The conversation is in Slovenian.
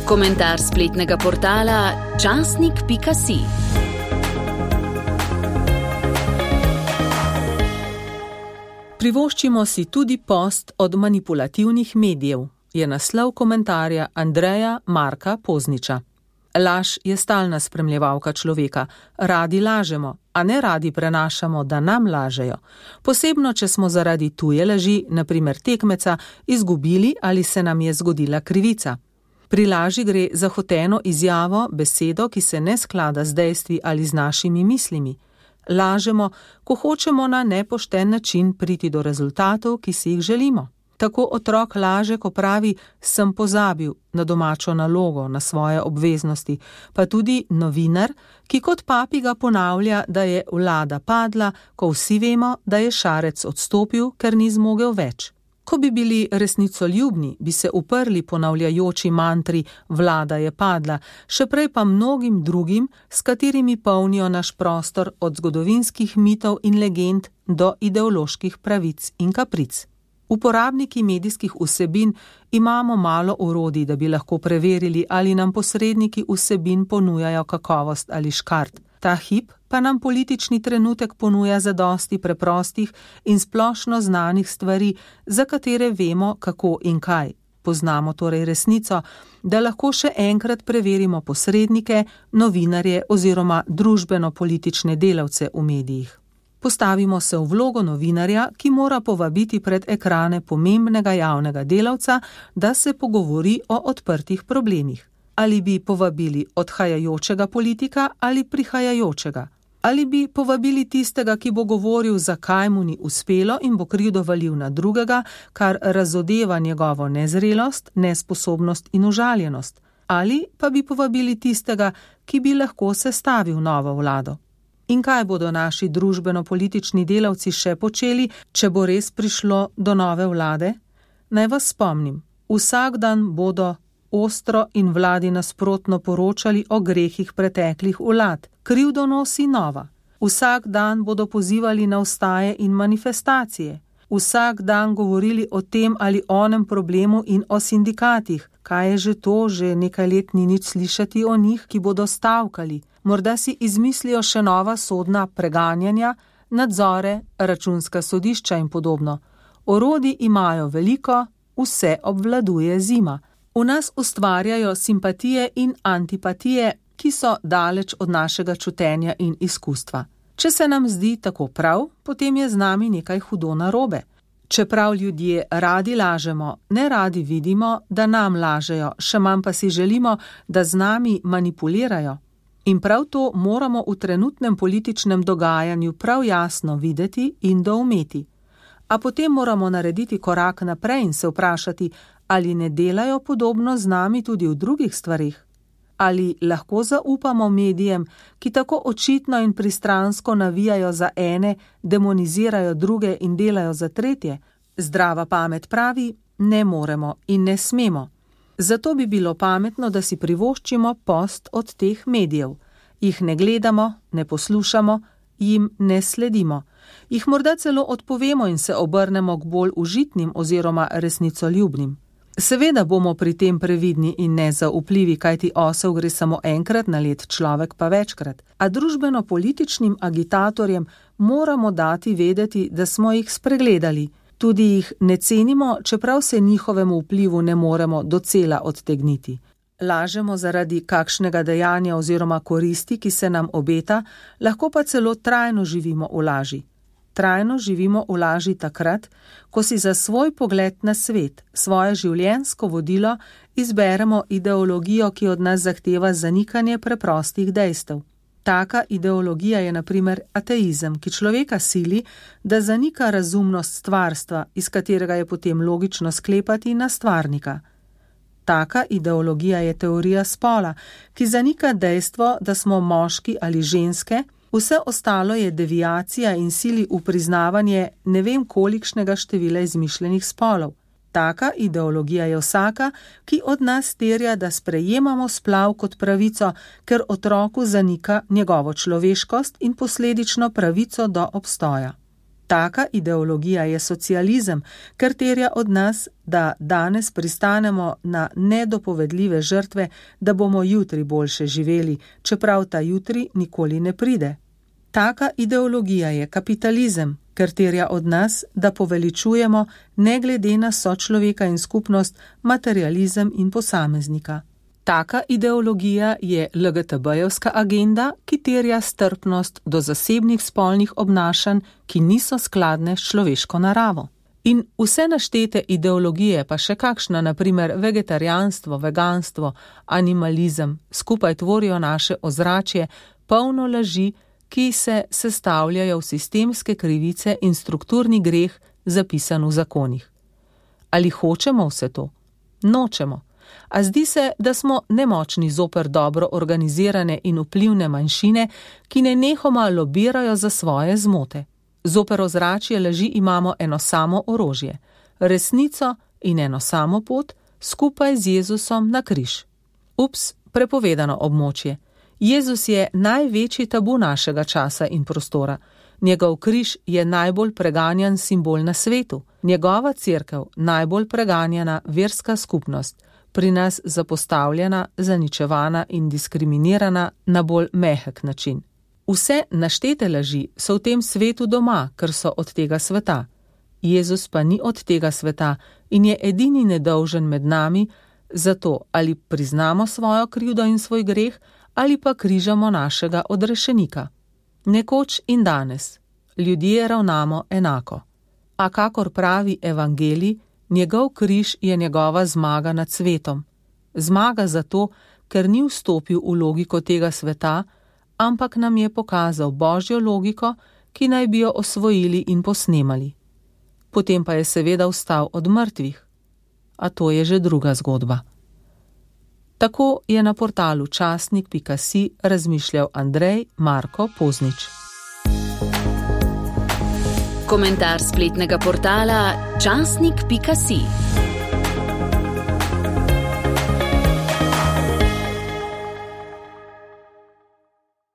Komentar spletnega portala časnik.si. Privoščimo si tudi post od manipulativnih medijev, je naslov komentarja Andreja Marka Pozniča. Laž je stalna spremljevalka človeka. Radi lažemo, a ne radi prenašamo, da nam lažejo. Posebno, če smo zaradi tuje laži, na primer tekmeca, izgubili ali se nam je zgodila krivica. Pri laži gre za hoteno izjavo, besedo, ki se ne sklada z dejstvi ali z našimi mislimi. Lažemo, ko hočemo na nepošten način priti do rezultatov, ki si jih želimo. Tako otrok laže, ko pravi, sem pozabil na domačo nalogo, na svoje obveznosti, pa tudi novinar, ki kot papiga ponavlja, da je vlada padla, ko vsi vemo, da je Šarec odstopil, ker ni zmogel več. Ko bi bili resnicoljubni, bi se uprli ponavljajoči mantri vlada je padla, še prej pa mnogim drugim, s katerimi polnijo naš prostor od zgodovinskih mitov in legend do ideoloških pravic in kapric. Uporabniki medijskih vsebin imamo malo orodij, da bi lahko preverili, ali nam posredniki vsebin ponujajo kakovost ali škart. Ta hip pa nam politični trenutek ponuja zadosti preprostih in splošno znanih stvari, za katere vemo, kako in kaj. Poznamo torej resnico, da lahko še enkrat preverimo posrednike, novinarje oziroma družbeno-politične delavce v medijih. Postavimo se v vlogo novinarja, ki mora povabiti pred ekrane pomembnega javnega delavca, da se pogovori o odprtih problemih. Ali bi povabili odhajajočega politika ali prihajajočega? Ali bi povabili tistega, ki bo govoril, zakaj mu ni uspelo in bo krivdo valil na drugega, kar razodeva njegovo nezrelost, nesposobnost in užaljenost? Ali pa bi povabili tistega, ki bi lahko sestavil novo vlado? In kaj bodo naši družbeno-politični delavci še počeli, če bo res prišlo do nove vlade? Naj vas spomnim, vsak dan bodo ostro in vladi nasprotno poročali o grehih preteklih vlad. Krivdo nosi nova. Vsak dan bodo pozivali na vstaje in manifestacije. Vsak dan govorili o tem ali onem problemu in o sindikatih. Kaj je že to, že nekaj let ni nič slišati o njih, ki bodo stavkali. Morda si izmislijo še nova sodna preganjanja, nadzore, računska sodišča in podobno. Orodij imajo veliko, vse obvladuje zima. V nas ustvarjajo simpatije in antipatije, ki so daleč od našega čutenja in izkustva. Če se nam zdi tako prav, potem je z nami nekaj hudo narobe. Čeprav ljudje radi lažemo, ne radi vidimo, da nam lažejo, še manj pa si želimo, da z nami manipulirajo. In prav to moramo v trenutnem političnem dogajanju prav jasno videti in doumeti. A potem moramo narediti korak naprej in se vprašati, ali ne delajo podobno z nami tudi v drugih stvarih. Ali lahko zaupamo medijem, ki tako očitno in pristransko navijajo za ene, demonizirajo druge in delajo za tretje? Zdrava pamet pravi, ne moremo in ne smemo. Zato bi bilo pametno, da si privoščimo post od teh medijev. Jih ne gledamo, ne poslušamo, jim ne sledimo. Jih morda celo odpovemo in se obrnemo k bolj užitnim oziroma resnicoljubnim. Seveda bomo pri tem previdni in nezaupljivi, kajti osel gre samo enkrat na let, človek pa večkrat. A družbeno-političnim agitatorjem moramo dati vedeti, da smo jih spregledali. Tudi jih ne cenimo, čeprav se njihovemu vplivu ne moremo docela odtegniti. Lažemo zaradi kakšnega dejanja oziroma koristi, ki se nam obeta, lahko pa celo trajno živimo v laži. Trajno živimo v laži takrat, ko si za svoj pogled na svet, svoje življenjsko vodilo, izberemo ideologijo, ki od nas zahteva zanikanje preprostih dejstev. Taka ideologija je na primer ateizem, ki človeka sili, da zanika razumnost stvarstva, iz katerega je potem logično sklepati na stvarnika. Taka ideologija je teorija spola, ki zanika dejstvo, da smo moški ali ženske, vse ostalo je deviacija in sili v priznavanje ne vem kolikšnega števila izmišljenih spolov. Taka ideologija je vsaka, ki od nas terja, da sprejemamo splav kot pravico, ker otroku zanika njegovo človeškost in posledično pravico do obstoja. Taka ideologija je socializem, ker terja od nas, da danes pristanemo na nedopovedljive žrtve, da bomo jutri boljše živeli, čeprav ta jutri nikoli ne pride. Taka ideologija je kapitalizem, ker terja od nas, da poveličujemo, ne glede na sočloveka in skupnost, materializem in posameznika. Taka ideologija je LGTB-jevska agenda, ki terja strpnost do zasebnih spolnih obnašanj, ki niso skladne s človeško naravo. In vse naštete ideologije, pa še kakšna, na primer vegetarijanstvo, veganstvo, animalizem, skupaj tvorijo naše ozračje, polno laži, ki se sestavljajo v sistemske krivice in strukturni greh, zapisan v zakonih. Ali hočemo vse to? Nočemo. A zdi se, da smo nemočni zoper dobro organizirane in vplivne manjšine, ki nenehoma lobirajo za svoje zmote. Zoper ozračje laži imamo eno samo orožje, resnico in eno samo pot, skupaj z Jezusom na križ. Ups, prepovedano območje. Jezus je največji tabu našega časa in prostora. Njegov križ je najbolj preganjan simbol na svetu. Njegova cerkev najbolj preganjana verska skupnost, pri nas zapostavljena, zaničevana in diskriminirana na bolj mehek način. Vse naštete laži so v tem svetu doma, ker so od tega sveta. Jezus pa ni od tega sveta in je edini nedolžen med nami, zato ali priznamo svojo krivdo in svoj greh, ali pa križamo našega odrešenika. Nekoč in danes ljudje ravnamo enako. A kakor pravi evangelij, njegov križ je njegova zmaga nad svetom. Zmaga zato, ker ni vstopil v logiko tega sveta, ampak nam je pokazal Božjo logiko, ki naj bi jo osvojili in posnemali. Potem pa je seveda vstal od mrtvih. A to je že druga zgodba. Tako je na portalu časnik.si razmišljal Andrej Marko Poznič. Komentar spletnega portala časnik.si.